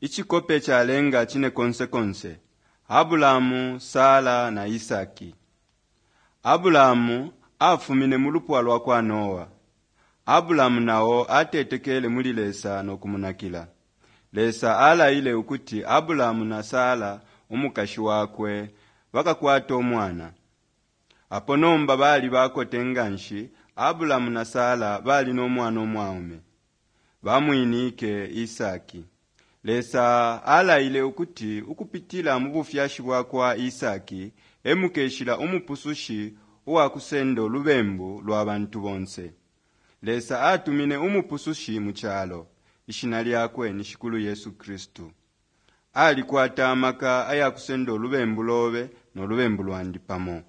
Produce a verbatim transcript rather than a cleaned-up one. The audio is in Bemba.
Icikope calenga cine konse konse, Abulamu, Sara na Isaki. Abulamu afumine mu lupwa lwa kwa Noa. Abulamu nao atetekele muli Lesa no kumunakila. Lesa alaile ukuti Abulamu na Sara umukashi wakwe bakakwata umwana. Apo nomba bali bakote nganshi, Abulamu na Sara bali no mwana umwaume. Bamwinike Isaki. Lesa alaile ukuti ukupitila mu bufyashi bwa kwa Isaki e mukeshila Umupusushi uwa kusendo lubembu lwa bantu bonse. Lesa atumine Umupusushi mu calo. Ishina lyakwe ni Shikulu Yesu Kristu. Alikwata amaka aya kusendo lubembu lobe no lubembu lwandi pamo.